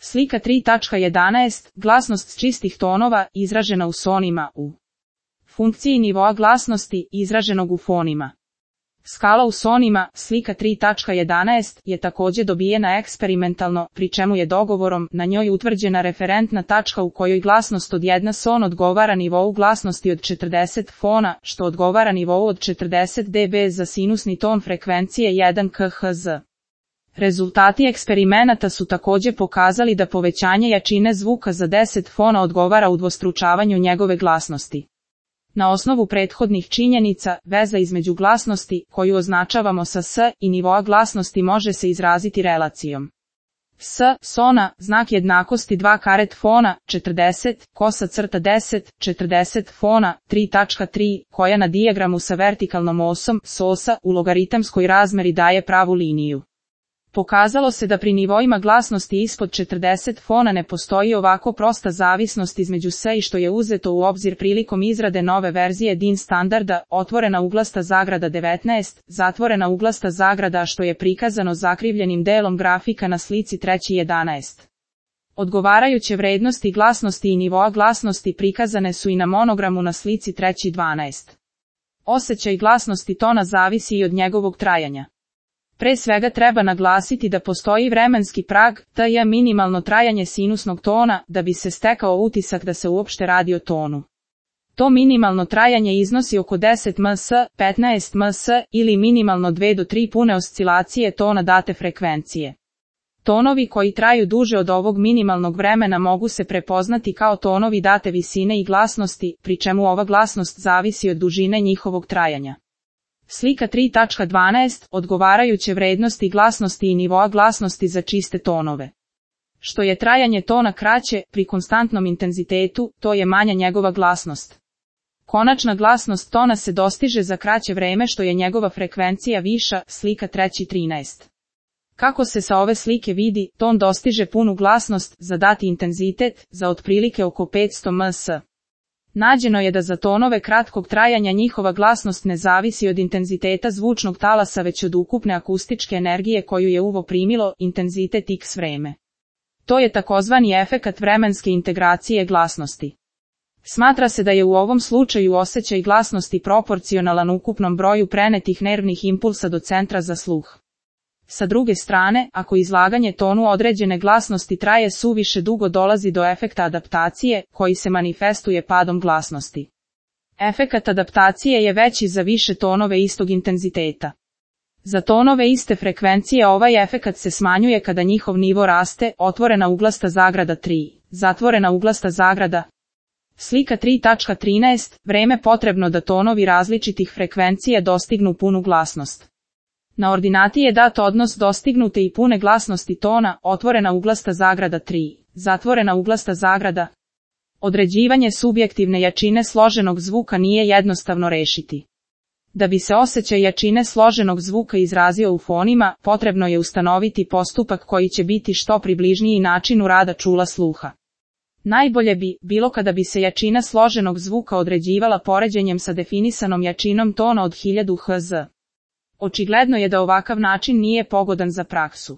Slika 3.11. Glasnost čistih tonova, izražena u sonima u funkciji nivoa glasnosti, izraženog u fonima. Skala u sonima, slika 3.11, je također dobijena eksperimentalno, pri čemu je dogovorom na njoj utvrđena referentna tačka u kojoj glasnost od 1 son odgovara nivou glasnosti od 40 fona, što odgovara nivou od 40 dB za sinusni ton frekvencije 1 kHz. Rezultati eksperimenata su također pokazali da povećanje jačine zvuka za 10 fona odgovara udvostručavanju njegove glasnosti. Na osnovu prethodnih činjenica, veza između glasnosti, koju označavamo sa S, i nivoa glasnosti može se izraziti relacijom. S, sona, znak jednakosti 2 karet fona, 40, kosa crta 10, 40 fona, 3.3, koja na dijagramu sa vertikalnom osom, sosa, u logaritamskoj razmeri daje pravu liniju. Pokazalo se da pri nivoima glasnosti ispod 40 fona ne postoji ovako prosta zavisnost između S i što je uzeto u obzir prilikom izrade nove verzije DIN standarda, otvorena uglasta zagrada 19, zatvorena uglasta zagrada, što je prikazano zakrivljenim delom grafika na slici 3.11. Odgovarajuće vrednosti glasnosti i nivoa glasnosti prikazane su i na monogramu na slici 3.12. Osjećaj glasnosti tona zavisi i od njegovog trajanja. Pre svega treba naglasiti da postoji vremenski prag, tj. minimalno trajanje sinusnog tona, da bi se stekao utisak da se uopšte radi o tonu. To minimalno trajanje iznosi oko 10 ms, 15 ms, ili minimalno 2 do 3 pune oscilacije tona date frekvencije. Tonovi koji traju duže od ovog minimalnog vremena mogu se prepoznati kao tonovi date visine i glasnosti, pri čemu ova glasnost zavisi od dužine njihovog trajanja. Slika 3.12. Odgovarajuće vrednosti glasnosti i nivoa glasnosti za čiste tonove. Što je trajanje tona kraće, pri konstantnom intenzitetu, to je manja njegova glasnost. Konačna glasnost tona se dostiže za kraće vreme što je njegova frekvencija viša, slika 3.13. Kako se sa ove slike vidi, ton dostiže punu glasnost, za dati intenzitet, za otprilike oko 500 ms. Nađeno je da za tonove kratkog trajanja njihova glasnost ne zavisi od intenziteta zvučnog talasa već od ukupne akustičke energije koju je uvo primilo, intenzitet x vreme. To je takozvani efekat vremenske integracije glasnosti. Smatra se da je u ovom slučaju osjećaj glasnosti proporcionalan ukupnom broju prenetih nervnih impulsa do centra za sluh. Sa druge strane, ako izlaganje tonu određene glasnosti traje suviše dugo, dolazi do efekta adaptacije, koji se manifestuje padom glasnosti. Efekat adaptacije je veći za više tonove istog intenziteta. Za tonove iste frekvencije ovaj efekat se smanjuje kada njihov nivo raste, otvorena uglasta zagrada 3, zatvorena uglasta zagrada. Slika 3.13. Vreme potrebno da tonovi različitih frekvencija dostignu punu glasnost. Na ordinati je dat odnos dostignute i pune glasnosti tona, otvorena uglasta zagrada 3, zatvorena uglasta zagrada. Određivanje subjektivne jačine složenog zvuka nije jednostavno rešiti. Da bi se osjećaj jačine složenog zvuka izrazio u fonima, potrebno je ustanoviti postupak koji će biti što približniji načinu rada čula sluha. Najbolje bi bilo kada bi se jačina složenog zvuka određivala poređenjem sa definisanom jačinom tona od 1000 Hz. Očigledno je da ovakav način nije pogodan za praksu.